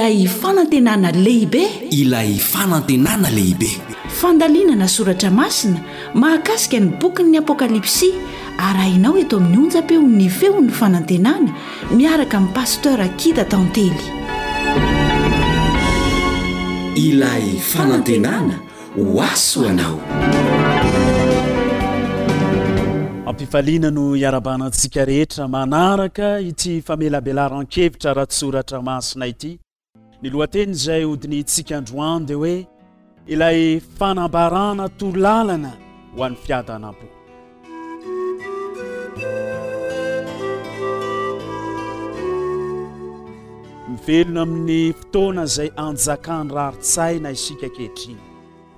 Ilay fanantenana lehibe. Ilay fanantenana lehibe. Fandalinana soratra masina mahakasika ny bokin'ny Apokalypsy arahinao eto amin'ny onjam-peon'ny Feon'ny Fanantenana miaraka amin'i Pasteur Akida Tantely. Ilay fanantenana ho ahy ho anao. Ampifaliana no iarabana antsika rehetra manaraka ity famelabelaran-kevitra ara-tsoratra masina ity. Ny lohateny izay hodinihintsika androany dia hoe ilay fanambarana torolalana ho an'ny fiadanam-po. Mivelona amin'ny fotoana izay anjakan'ny rarin-tsaina isika ankehitriny,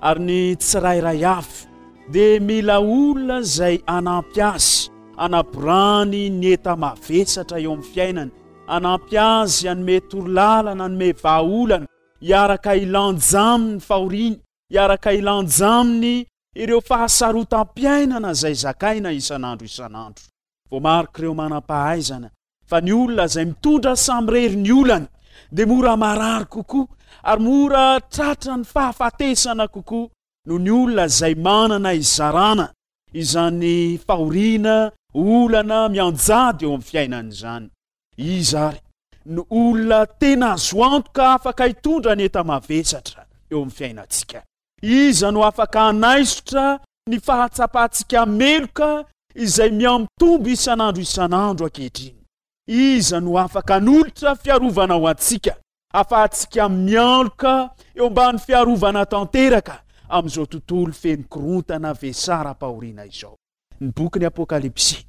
ary ny tsirairay avy dia mila olona izay hanampy azy hanaborany ny enta-mavesatra eo amin'ny fiainany, hanampy azy hanome torolalana, hanome vahaolana, hiaraka hilanja aminy ny fahoriany, hiaraka hilanja aminy ireo fahasarotam-piainana izay zakaina isan'andro isan'andro. Voamarik'ireo manam-pahaizana fa ny olona izay mitondra samirery ny olany dia mora marary kokoa ary mora tratran'ny fahafatesana kokoa noho ny olona izay manana hizarana izany fahoriana, olana mianjady eo amin'ny fiainany izany. Iza ary no olona tena azo antoka afaka hitondra ny enta-mavesatra eo amin'ny fiainantsika? Iza no afaka hanaisotra ny fahatsapantsika meloka izay mihamitombo isan'andro isan'andro ankehitriny? Iza no afaka hanolotra fiarovana ho antsika, afahantsika mialoka eo ambany fiarovana tanteraka amin'izao tontolo feno korontana vesaram-pahoriana izao? Ny bokin'ny Apokalypsy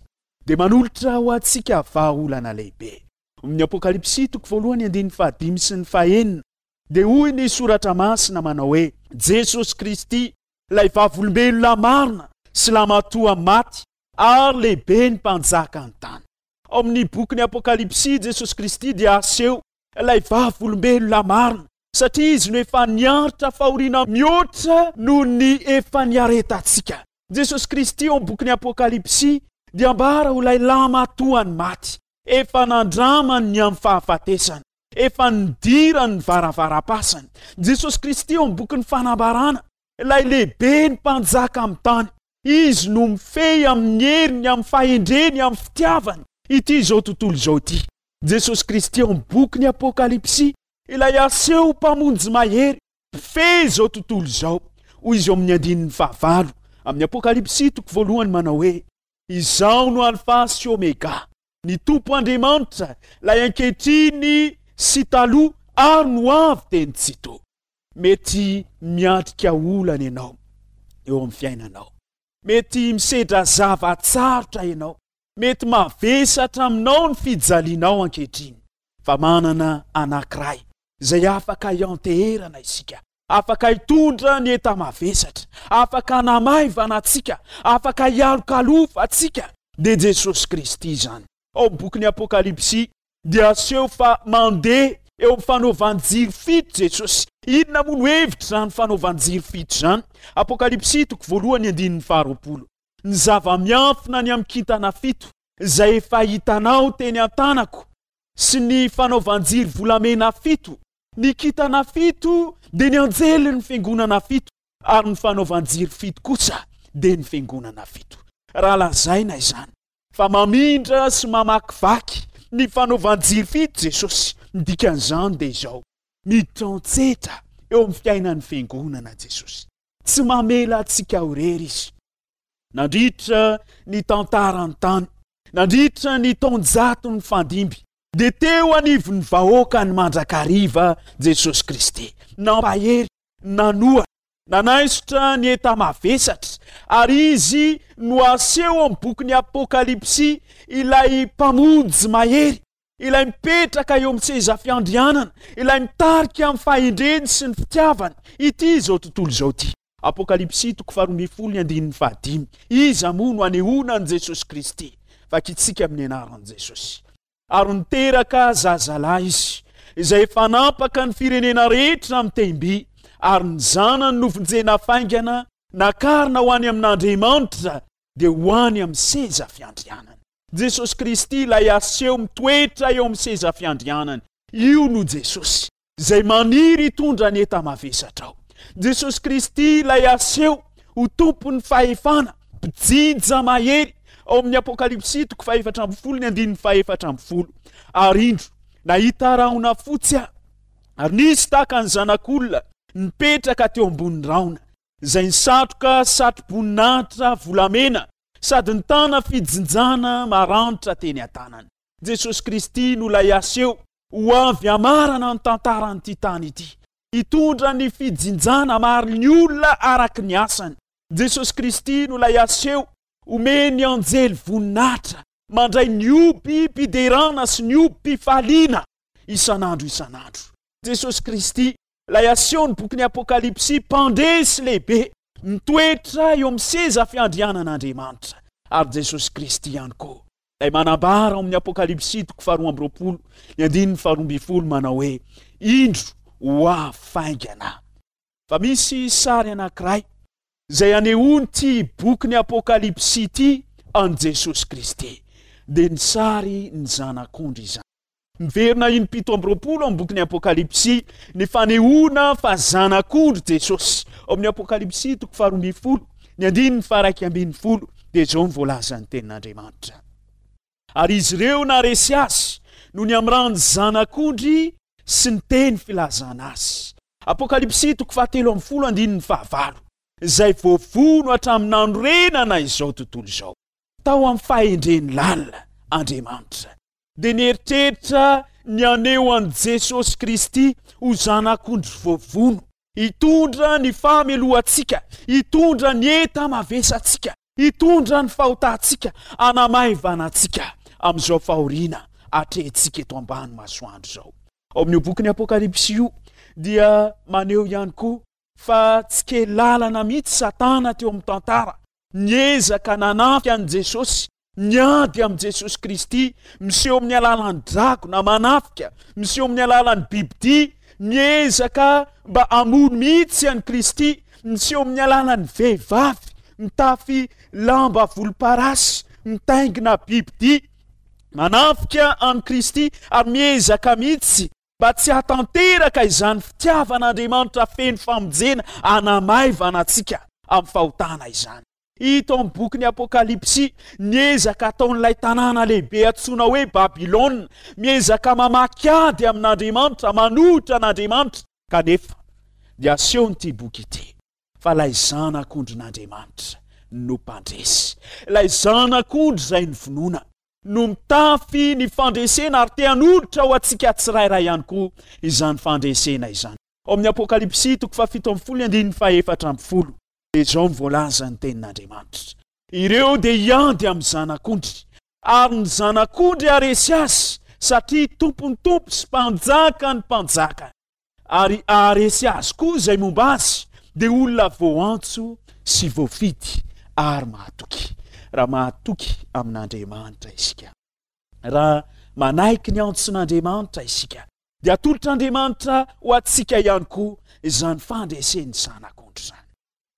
dia manolotra ho antsika vahaolana lehibe. Amin'ny Apokalypsy toko voalohany andininy fahadimy sy ny fahenina Dia hoy ny Soratra Masina manao hoe, Jesosy Kristy, ilay vavolombelona marina sy lamatoa maty ary lehibe ny mpanjaka ny tany. Ao amin'ny bokin'ny Apokalypsy, Jesosy Kristy dia aseho ilay vavolombelona marina, satria Izy no efa niaritra fahoriana mihoatra noho ny efa niaretantsika. Jesosy Kristy ao amin'ny bokin'ny Apokalypsy dia ambara ho ilay lamatoan'ny maty, efa nandramany ny amin'ny fahafatesana. Efa nidirany ny varavaram-pasany. Jesosy Kristy ao amin'ny bokin'ny Fanambarana, ilay lehibe ny mpanjaka amin'ny tany. Izy no mifehy amin'ny heriny, amin'ny fahendreny, amin'ny fitiavany ity izao tontolo izao ity. Jesosy Kristy ao amin'ny bokin'ny Apokalypsy, ilay aseho Mpamonjy mahery, mpifehy izao tontolo izao. Hoy izy ao amin'ny andininy fahavalo amin'ny Apokalypsy toko voalohany manao hoe, Izaho no Alfa sy Omega. Ny Tompo Andriamanitra, ilay ankehitriny sy taloha ary no avy dia ny Tsitoha. Mety miatrika olana ianao eo amin'ny fiainanao. Mety misedra zava-tsarotra ianao. Mety mavesatra aminao ny fijalianao ankehitriny. Fa manana anankiray izay afaka hianteherana isika, afaka hitondra ny enta-mavesatra, afaka hanamaivana antsika, afaka hialokalofa antsika, dia Jesosy Kristy izany. Ao amin'ny bokin'ny Apokalypsy dia aseho fa mandeha eo amin'ny fanaovan-jiro fito Jesosy. Inona moa no hevitr'izany fanaovan-jiro fito izany? Apokalypsy toko voalohany andininy faharoapolo. Ny zava-miafina ny amin'ny kintana fito izay efa hitanao teny an-tanako sy ny fanaovan-jiro volamena fito Ny kintana fito dia ny anjelin'ny fiangonana fito, ary ny fanaovan-jiro fito kosa dia ny fiangonana fito. Raha lazaina izany fa mamindra sy mamakivaky ny fanaovan-jiro fito Jesosy, ny dikan'izany dia izao, miditra an-tsetra eo amin'ny fiainan'ny fiangonana Jesosy. Tsy mamela antsika ho irery Izy. Nandritra ny tantaran'ny tany, nandritra ny taonjato nifandimby, Dia teo anivon'ny vahoakany mandrakariva Jesosy Kristy, nampahery, nanohana, nanaisotra ny enta-mavesatra, ary Izy no aseho amin'ny bokin'ny Apokalypsy ilay Mpamonjy mahery, ilay mipetraka eo amin'ny seza fiandrianana, ilay mitarika amin'ny fahendreny sy ny fitiavany ity izao tontolo izao ity. Apokalypsy toko faharoa ny andininy fahadimy. Iza moa no anehoana an'i Jesosy Kristy? Vakintsika amin'ny anaran'i Jesosy. Ary niteraka zazalahy izy, izay efa nampaka ny firenena rehetra amin'ny tehim-by, ary ny zanany novonjena faingana, nakarina ho any amin'Andriamanitra, dia ho any amin'ny seza fiandrianany. Jesosy Kristy ilay aseho mitoetra eo amin'ny seza fiandrianany. Io no Jesosy. Izay maniry hitondra ny enta-mavesatrao. Jesosy Kristy ilay aseho ho Tompon'ny fahefana, mpijinja mahery, ao amin'ny Apokalypsy toko fahefatra ambin'ny folo ny andininy fahefatra ambin'ny folo. Ary indro, nahita rahona fotsy aho, ary nisy tahaka ny zanak'olona nipetraka teo ambonin'ny rahona, izay nisatroka satroboninahitra volamena sady nitana fijinjana maranitra teny an-tanany. Jesosy Kristy no ilay aseho ho avy hamarana ny tantaran'ity tany ity, hitondra ny fijinjana hamaly ny olona araka ny asany. Jesosy Kristy no ilay aseho omen'ny anjely voninahitra, mandray ny hobim-piderana sy ny hobim-pifaliana isan'andro isan'andro. Jesosy Kristy, ilay asehon'ny bokin'ny Apokalypsy, Mpandresy lehibe, mitoetra eo amin'ny seza fiandrianan'Andriamanitra. Ary Jesosy Kristy ihany koa, ilay manambara ao amin'ny Apokalypsy toko faharoa amby roapolo, ny andininy faharoa ambin'ny folo manao hoe, Indro, ho avy faingana. Fa misy sary anankiray izay anehoan'ity bokin'ny Apokalypsy ity an'i Jesosy Kristy, dia ny sary ny Zanak'ondry izany. Miverina im-pito amby roapolo ao amin'ny bokin'ny Apokalypsy ny fanehoana fa Zanak'ondry Jesosy. Ao amin'ny Apokalypsy toko faharoa ambin'ny folo, ny andininy faha-11 dia izao no voalazan'ny Tenin'Andriamanitra, Ary izy ireo naharesy azy noho ny amin'ny ran'ny Zanak'ondry sy ny teny filazana azy. Apokalypsy toko fahatelo ambin'ny folo andininy fahavalo, izay voavono hatramin'ny nanorenana izao tontolo izao. Tao amin'ny fahendreny lalina Andriamanitra dia nieritreritra ny haneho an'i Jesosy Kristy ho Zanak'ondry voavono, hitondra ny fahamelohantsika, hitondra ny enta-mavesantsika, hitondra ny fahotantsika, hanamaivana antsika amin'izao fahoriana atrehintsika eto ambany masoandro izao. Ao amin'io bokin'ny Apokalypsy io dia maneho ihany koa fa tsy kely lalana mihitsy Satana teo amin'ny tantara, niezaka nanafika an'i Jesosy Miady amin'i Jesosy Kristy, miseho amin'ny alalan'ny dragona manafika, miseho amin'ny alalan'ny bibidia, miezaka mba hamono mihitsy an'i Kristy, miseho amin'ny alalan'ny vehivavy mitafy lamba volomparasy, mitaingina bibidia, manafika an'i Kristy ary miezaka mihitsy mba tsy hahatanteraka izany fitiavan'Andriamanitra feno famonjena hanamaivana antsika amin'ny fahotana izany. Hita ao amin'ny bokin'ny Apokalypsy ny ezaka ataon'ilay tanàna lehibe antsoina hoe Babylona, miezaka mamaky ady amin'Andriamanitra, manohitra an'Andriamanitra. Kanefa, dia asehon'ity boky ity fa ilay Zanak'ondrin'Andriamanitra no mpandresy. Ilay Zanak'ondry izay novonoina no mitafy ny fandresena ary te hanolotra ho antsika tsirairay ihany koa izany fandresena izany. Ao amin'ny Apokalypsy toko fahafito ambin'ny folo ny andininy fahaefatra ambin'ny folo. Dia izao no voalazan'ny Tenin'Andriamanitra, Ireo dia hiady amin'ny Zanak'ondry, ary ny Zanak'ondry haharesy azy, satria Tompon'ny tompo sy Mpanjakan'ny mpanjaka, ary haharesy azy koa izay momba azy, dia olona voantso sy voafidy ary mahatoky. Raha mahatoky amin'Andriamanitra isika, raha manaiky ny antson'Andriamanitra isika, dia atolotr'Andriamanitra ho antsika ihany koa izany fandresen'ny Zanak'ondry izany.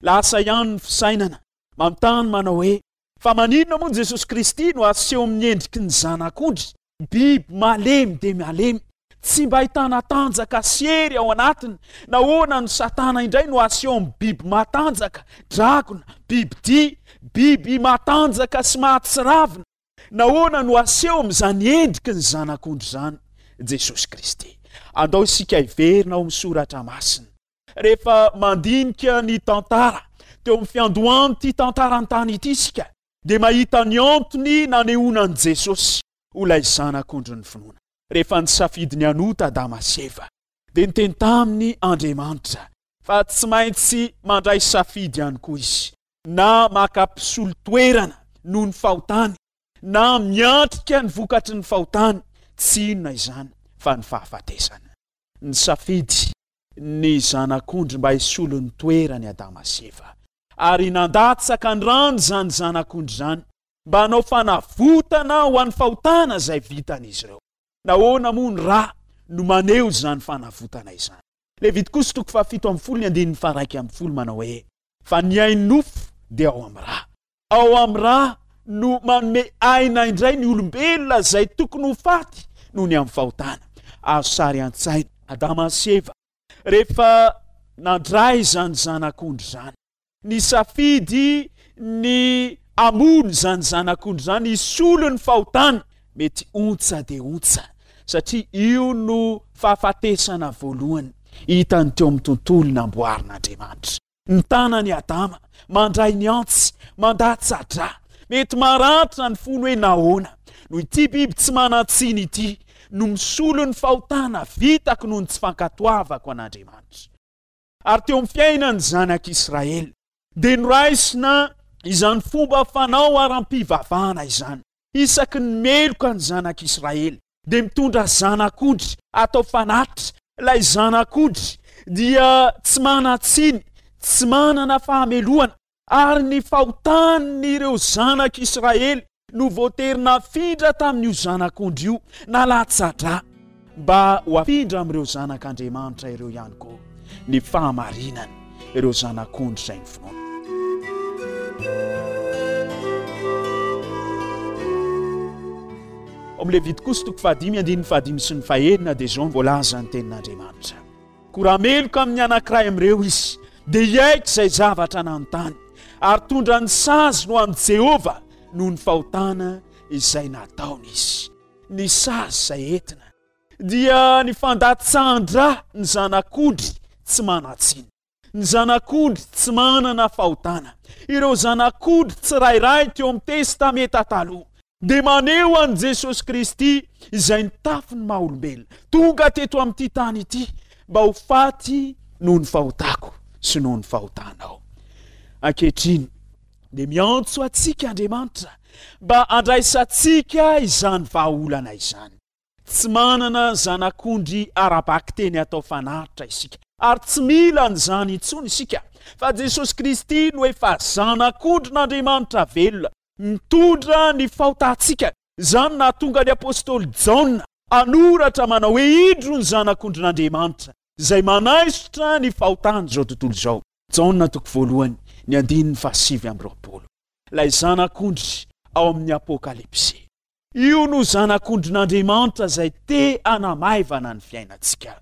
Lasa ihany ny fisainana, manontany manao hoe, Fa maninona moa Jesosy Kristy no aseho amin'ny endriky ny Zanak'ondry, biby malemy dia malemy, tsy mba ahitana tanjaka sy hery ao anatiny? Nahoana no Satana indray no aseho amin'ny biby matanjaka, dragona, bibidia, biby matanjaka sy mahatsiravina? Nahoana no aseho amin'izany endriky ny Zanak'ondry izany Jesosy Kristy? Andao isika hiverina ao amin'ny Soratra Masina. Rehefa mandinika ny tantara teo amin'ny fiandohan'ity tantaran-tany ity isika, dia mahita ny antony nanehoana an'i Jesosy ho ilay Zanak'ondrin'ny finoana. Rehefa nisafidy ny hanota Adama sy Eva, dia niteny taminy Andriamanitra fa tsy maintsy mandray safidy ihany koa izy. na maka mpisolo toerana noho ny fahotany, na miatrika ny vokatry ny fahotany, tsy inona izany fa ny fahafatesana. Nisafidy ny Zanak'ondry mba hisolo ny toerany Adama sy Eva, ary nandatsaka ny rany izany Zanak'ondry izany mba hanao fanavotana ho an'ny fahotana izay vitan'izy ireo. Nahoana moa ny ra no maneho izany fanavotana izany? Levitikosy toko fahafito ambin'ny folo ny andininy faha-11 manao hoe, Fa ny ain'ny nofo dia ao amin'ny ra. Ao amin'ny ra no manome aina indray ny olombelona izay tokony ho faty noho ny amin'ny fahotana. Azo sary an-tsaina. Adama sy Eva, rehefa nandray izany zanak'ondry izany, nisafidy ny hamono izany zanak'ondry izany hisolo ny fahotany, mety ontsa dia ontsa, satria io no fahafatesana voalohany hitany teo amin'ny tontolo namboarin'Andriamanitra. Ny tanan'i Adama mandray ny antsy, mandatsa-drà. Mety maratra ny fony hoe nahoana no ity biby tsy manan-tsiny ity no misolo ny fahotana vitako noho ny tsy fankatoavako an'Andriamanitra. Ary teo amin'ny fiainan'ny zanak'Israely dia noraisina izany fomba fanao ara-pivavahana izany. Isaky ny meloka ny zanak'Israely dia mitondra zanak'ondry atao fanatitra. Ilay zanak'ondry dia tsy manan-tsiny, tsy manana fahamelohana, ary ny fahotan'ireo zanak'Israely no voatery nafindra tamin'io zanak'ondry io, nalatsa-drà, mba ho afindra amin'ireo zanak'Andriamanitra ireo ihany koa ny fahamarinany, ireo zanak'ondry izay novonoina. Ao amin'ny Levitikosy toko fahadimy andininy fahadimy sy ny fahenina dia izao no voalazan'ny tenin'Andriamanitra. Koa raha meloka amin'ny anankiray amin'ireo izy, dia hiaiky izay zavatra nanontany, ary tondra ny saziny ho amin'i Jehovah noho ny fahotana izay nataony izy. Ny sazy izay entina dia ny fandatsahan-dra ny zanak'ondry tsy manan-tsiny. Ny zanak'ondry tsy manana fahotana. Ireo zanak'ondry tsirairay teo amin'ny Testamenta Taloha dia maneho an'i Jesosy Kristy izay nitafy ny maha olombelona, tonga teto amin'ity tany ity mba ho faty noho ny fahotako sy noho ny fahotanao. Ankehitriny dia miantso antsika Andriamanitra mba handraisantsika izany vahaolana izany. Tsy manana zanak'ondry ara-bakiteny atao fanatitra isika, ary tsy mila an'izany intsony isika, fa Jesosy Kristy no efa Zanak'ondrin'Andriamanitra velona, mitondra ny fahotantsika. Izany no nahatonga ny apostoly Jaona hanoratra manao hoe, Indro ny Zanak'ondrin'Andriamanitra, izay manaisotra ny fahotan'izao tontolo izao. Jaona toko voalohany, ny andininy fahasivy amby 20. Ilay Zanak'ondry ao amin'ny Apokalypsy. Io no Zanak'ondrin'Andriamanitra izay te hanamaivana ny fiainantsika.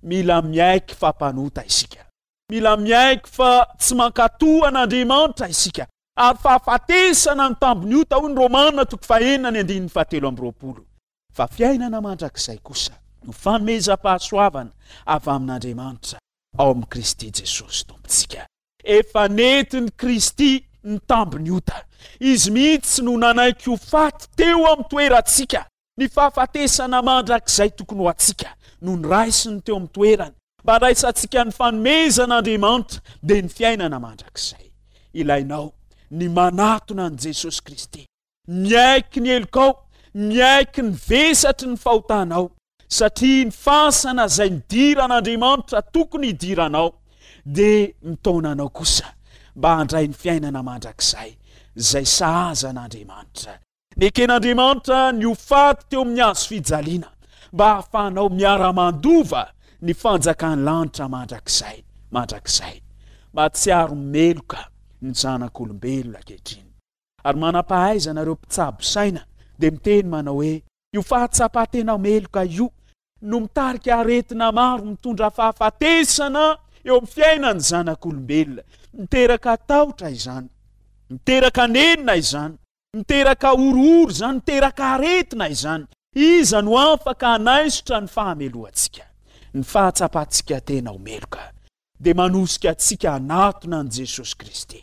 Mila miaiky fa mpanota isika. Mila miaiky fa tsy mankatò an'Andriamanitra isika, ary fahafatesana ny tambin'ny ota, hoy ny Romana toko fahenina ny andininy fahatelo amby 20. Fa fiainana mandrakizay kosa no fanomezam-pahasoavana avy amin'Andriamanitra ao amin'i Kristy Jesosy Tompontsika. Efa nentin'i Kristy ny tambin'ny ota. Izy mihitsy no nanaiky ho faty teo amin'ny toerantsika. Ny fahafatesana mandrakizay tokony ho antsika no noraisiny teo amin'ny toerany, mba handraisantsika ny fanomezan'Andriamanitra, dia ny fiainana mandrakizay. Ilainao ny manatona an'i Jesosy Kristy. Miaiky ny helokao, miaiky ny vesatry ny fahotanao, satria ny fasana izay nidiran'Andriamanitra tokony hidiranao dia mitaona anao kosa mba handray ny fiainana mandrakizay izay sahaza an'Andriamanitra. Neken'Andriamanitra ny ho faty teo amin'ny hazo fijaliana mba hahafahanao miara-mandova ny fanjakan'ny lanitra mandrakizay mandrakizay. Mahatsiaro meloka ny zanak'olombelona ankehitriny. Ary manam-pahaizana ireo mpitsabo saina dia miteny manao hoe io fahatsapan-tena meloka io no mitarika aretina maro mitondra fahafatesana eo amin'ny fiainan'ny zanak'olombelona. Miteraka tahotra izany, miteraka nenina izany, miteraka horohoro izany, miteraka aretina izany. Iza no afaka hanaisotra ny fahamelohantsika? Ny fahatsapantsika tena ho meloka dia manosika antsika hanatona an'i Jesosy Kristy.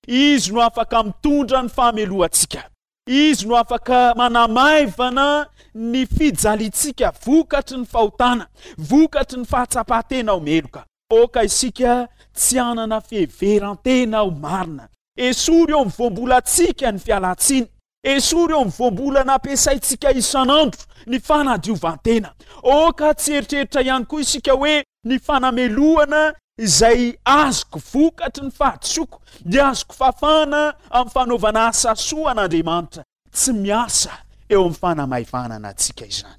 Izy no afaka mitondra ny fahamelohantsika. Izy no afaka manamaivana ny fijaliantsika vokatry ny fahotana, vokatry ny fahatsapan-tena ho meloka. Aoka isika tsy hanana fiheveran-tena ho marina. Esory eo amin'ny voambolantsika ny fialan-tsiny. Esory eo amin'ny voambolana ampiasaintsika isan'andro ny fanadiovan-tena. Aoka tsy hieritreritra ihany koa isika hoe ny fanamelohana izay azoko vokatry ny fahadisoako dia azoko fafana amin'ny fanaovana asa soa an'Andriamanitra. Tsy miasa eo amin'ny fanamaivanana antsika izany,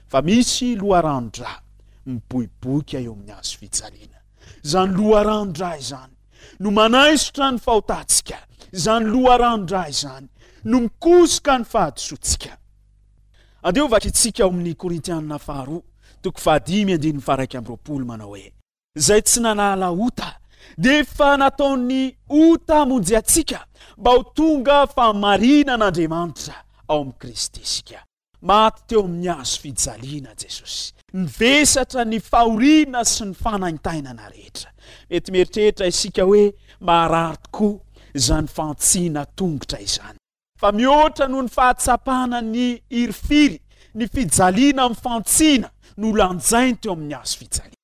fa misy loharanon-dra miboiboika eo amin'ny hazo fijaliana. Izany loharanon-dra izany no manaisotra ny fahotantsika. Izany loharanon-dra izany no mikosoka ny fahadisoantsika. Andeha ho vakintsika ao amin'ny Korintianina faharoa. toko fahadimy andininy faha-21 manao hoe, Izay tsy nanala ota dia efa nataon'ny ota hamonjy antsika mba ho tonga fahamarinan'Andriamanitra ao amin'i Kristy isika. Maty teo amin'ny hazo fijaliana Jesosy. Nivesatra ny fahoriana sy ny fanaintainana rehetra. Mety mieritreritra isika hoe maharary tokoa izany fantsina tongotra izany. Fa mihoatra noho ny fahatsapana ny hirifiry, ny fijaliana amin'ny fantsina no lanjainy teo amin'ny hazo fijaliana.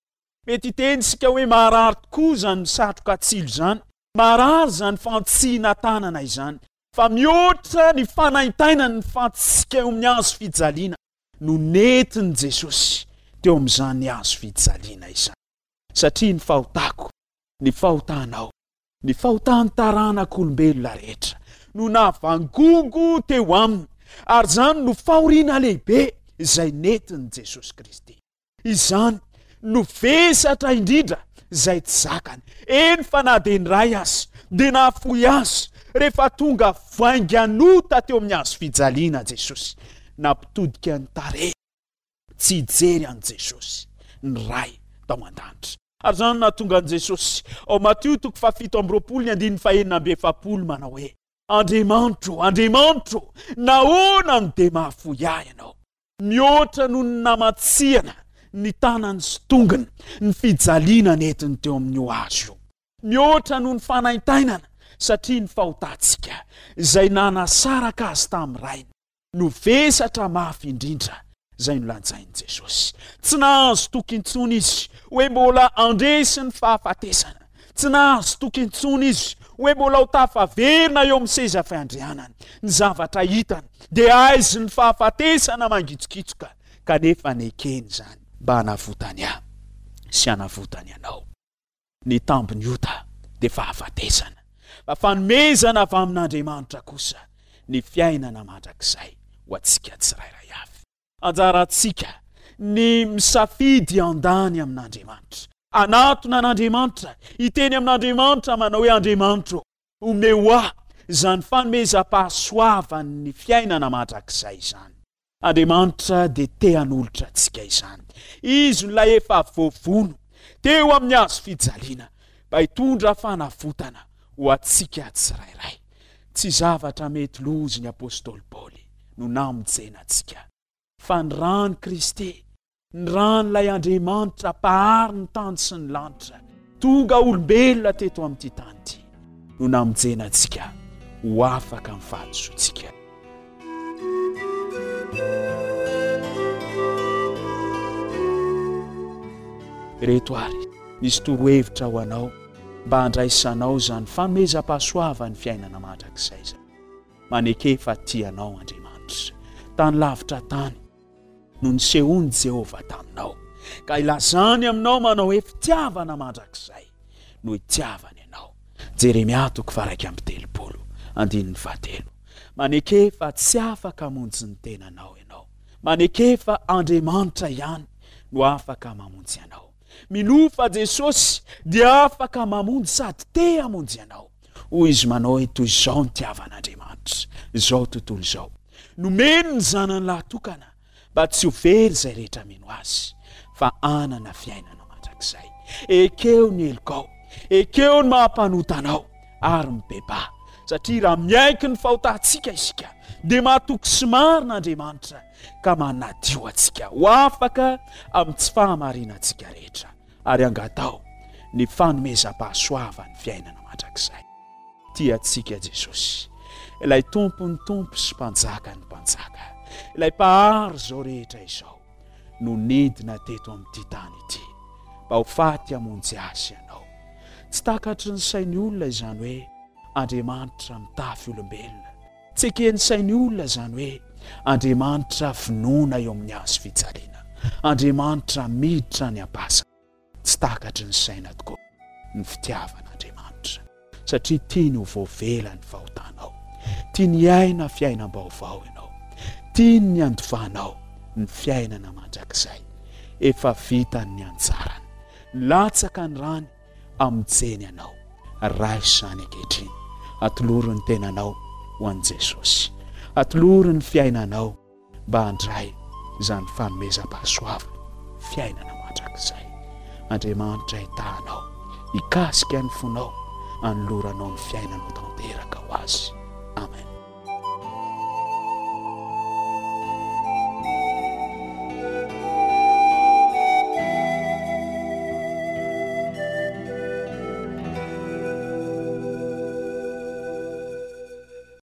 Mety hiteny isika hoe maharary tokoa izany misatroka tsilo izany, maharary izany fantsina tanana izany. Fa mihoatra ny fanaintainan'ny fantsika eo amin'ny hazo fijaliana no nentin'i Jesosy teo amin'izany hazo fijaliana izany. Satria ny fahotako, ny fahotanao, ny fahotan'ny taranak'olombelona rehetra no navangongo teo aminy, ary izany no fahoriana lehibe izay nentin'i Jesosy Kristy. Izany no vesatra indrindra izay tsy zakany. Eny fa na dia ny Ray aza dia nahafoy azy rehefa tonga vaingan'ota teo amin'ny hazo fijaliana Jesosy. Nampitodika ny tarehiny tsy hijery an'i Jesosy ny Ray tao an-danitra. Ary izany no nahatonga an'i Jesosy ao Matio toko fahafito amby 20 ny andininy fahenina amby 40 manao hoe, Andriamanitro, Andriamanitro, nahoana no dia mahafoy ahy Ianao? Mihoatra noho ny namatsiana ny tanany sy tongony ny fijaliana nentiny teo amin'io hazo io. Mihoatra noho ny fanaintainana satria ny fahotantsika izay nanasaraka azy tamin'ny Rainy no vesatra mafy indrindra izay nolanjain'i Jesosy. Tsy nahazo toky intsony izy hoe mbola handresy ny fahafatesana. Tsy nahazo toky intsony izy hoe mbola ho tafaverina eo amin'ny seza fiandrianany. Ny zavatra hitany dia aizin'ny fahafatesana mangitsokitsoka, kanefa nekeny izany mba hanavotany ahy sy hanavotany anao. Ny tambin'ny ota dia fahafatesana, fa fanomezana avy amin'Andriamanitra kosa ny fiainana mandrakizay ho antsika tsirairay avy. Anjarantsika ny misafidy handany amin'Andriamanitra. Hanatona an'Andriamanitra, hiteny amin'Andriamanitra manao hoe, Andriamanitra ô, omeo ahy izany fanomezam-pahasoavan'ny fiainana mandrakizay izany. Andriamanitra dia te hanolotra antsika izany. Izy no ilay efa voavono teo amin'ny hazo fijaliana mba hitondra fanavotana ho antsika tsirairay. Tsy zavatra mety lozy ny apostoly Paoly no namonjena antsika, fa ny ran'i Kristy, ny ran'ilay Andriamanitra Mpahary ny tany sy ny lanitra, tonga olombelona teto amin'ity tany ity, no namonjena antsika ho afaka amin'ny fahadisoantsika. Ireto àry misy torohevitra ho anao mba handraisanao izany fanomezam-pahasoavan'ny fiainana mandrakizay izany. Maneke fa tia anao Andriamanitra. Tany lavitra tany no nisehoan'i Jehovah taminao, ka ilazany aminao manao hoe fitiavana mandrakizay no itiavany anao. Jeremia toko faha-31, andininy fahatelo. Maneke fa tsy afaka hamonjy ny tenanao ianao. Maneke fa Andriamanitra ihany no afaka mamonjy anao. Minoa fa Jesosy dia afaka mamonjy sady te hamonjy anao. Hoy izy manao hoe toy izao nitiavan'Andriamanitra izao tontolo izao. Nomeny ny zanany lahatokana mba tsy ho very izay rehetra mino azy fa hanana fiainana mandrakizay. Ekeo ny helokao, ekeo ny maha mpanota anao ary mibebaha satria raha miaiky ny fahotantsika isika dia mahatoky sy marina Andriamanitra ka manadio antsika ho afaka amin'ny tsy fahamarinantsika rehetra ary angataho ny fanomezam-pahasoavan'ny fiainana mandrakizay. Tia antsika Jesosy, ilay Tompon'ny tompo sy Mpanjakan'ny mpanjaka, ilay Mpahary izao rehetra izao, no nidina teto amin'ity tany ity mba ho faty hamonjy ahy sy ianao. Tsy takatry ny sain'ny olona izany hoe Andriamanitra mitafy olombelona. Tsy eken'ny sain'ny olona izany hoe Andriamanitra vonoina eo amin'ny hazo fijaliana, Andriamanitra miditra any am-pasana. Tsy takatry ny saina tokoa ny fitiavan'Andriamanitra, satria tiany ho voavela ny fahotanao, tiany hiaina fiainam-baovao ianao, tiany ny handovanao ny fiainana mandrakizay. Efa vitany ny anjarany, nilatsaka ny rany, Hamonjeny anao. Raiso izany ankehitriny. Atolory ny tenanao ho an'i Jesosy. Atolory ny fiainanao mba handray izany fanomezam-pahasoavana, fiainana mandrakizay. Andriamanitra hitaha anao, hikasika ny fonao, hanoloranao ny fiainanao tanteraka ho Azy.